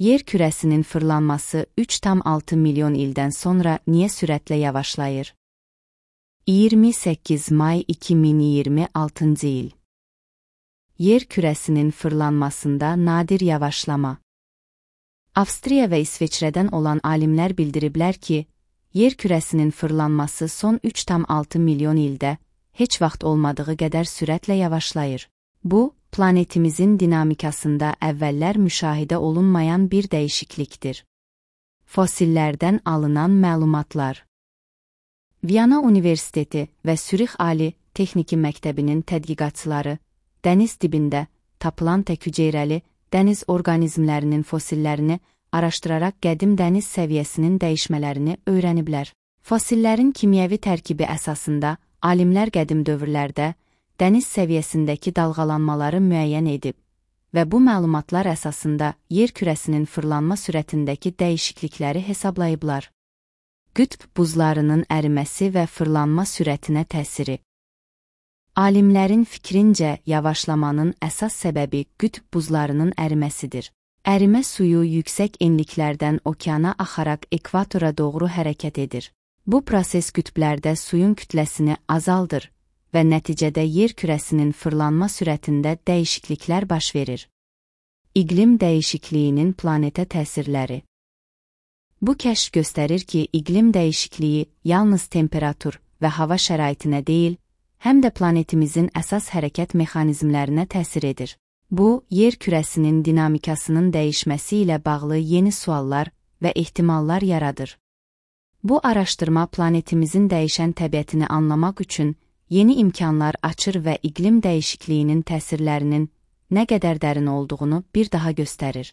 Yer kürəsinin fırlanması 3,6 milyon ildən sonra niyə sürətlə yavaşlayır? 28 may 2026 il. Yer kürəsinin fırlanmasında nadir yavaşlama. Avstriya və İsveçrədən olan alimlər bildiriblər ki, yer kürəsinin fırlanması son 3,6 milyon ildə heç vaxt olmadığı qədər sürətlə yavaşlayır. Bu, planetimizin dinamikasında əvvəllər müşahidə olunmayan bir dəyişiklikdir. Fosillərdən alınan məlumatlar. Viyana Universiteti və Sürix Ali Texniki Məktəbinin tədqiqatçıları dəniz dibində tapılan tək-hüceyrəli dəniz orqanizmlərinin fosillərini araşdıraraq qədim dəniz səviyyəsinin dəyişmələrini öyrəniblər. Fosillərin kimyəvi tərkibi əsasında alimlər qədim dövrlərdə dəniz səviyyəsindəki dalğalanmaları müəyyən edib və bu məlumatlar əsasında yer kürəsinin fırlanma sürətindəki dəyişiklikləri hesablayıblar. Qütb buzlarının əriməsi və fırlanma sürətinə təsiri. Alimlərin fikrincə, yavaşlamanın əsas səbəbi qütb buzlarının əriməsidir. Ərimə suyu yüksək enliklərdən okeana axaraq ekvatora doğru hərəkət edir. Bu proses qütblərdə suyun kütləsini azaldır və nəticədə yer kürəsinin fırlanma sürətində dəyişikliklər baş verir. İqlim dəyişikliyinin planetə təsirləri. Bu kəşf göstərir ki, iqlim dəyişikliyi yalnız temperatur və hava şəraitinə deyil, həm də planetimizin əsas hərəkət mexanizmlərinə təsir edir. Bu, yer kürəsinin dinamikasının dəyişməsi ilə bağlı yeni suallar və ehtimallar yaradır. Bu araşdırma planetimizin dəyişən təbiətini anlamaq üçün yeni imkanlar açır və iqlim dəyişikliyinin təsirlərinin nə qədər dərin olduğunu bir daha göstərir.